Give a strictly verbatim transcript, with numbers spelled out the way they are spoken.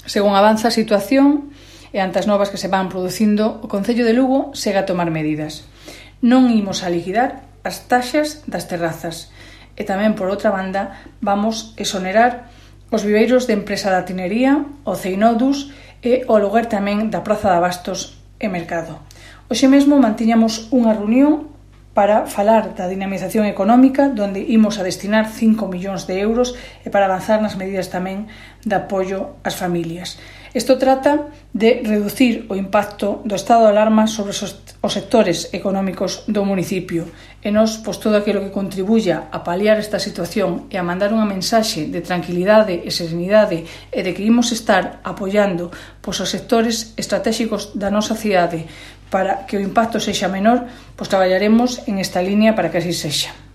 Según avanza a situación e ante as novas que se van producindo, o Concello de Lugo segue a tomar medidas. Non imos a liquidar as taxas das terrazas e tamén, por outra banda, vamos exonerar os viveiros de empresa da tinería, o Ceinodus e o aluguer tamén da Praza de Abastos e Mercado. Hoxe mesmo mantiñamos unha reunión para falar da dinamización económica, donde imos a destinar cinco millóns de euros e para avanzar nas medidas tamén de apoio ás familias. Isto trata de reducir o impacto do estado de alarma sobre os sectores económicos do municipio e nos, pois, todo aquilo que contribuya a paliar esta situación e a mandar unha mensaxe de tranquilidade e serenidade e de que imos estar apoiando pois, os sectores estratégicos da nosa cidade para que o impacto sexa menor, pois traballaremos en esta línea para que así sexa.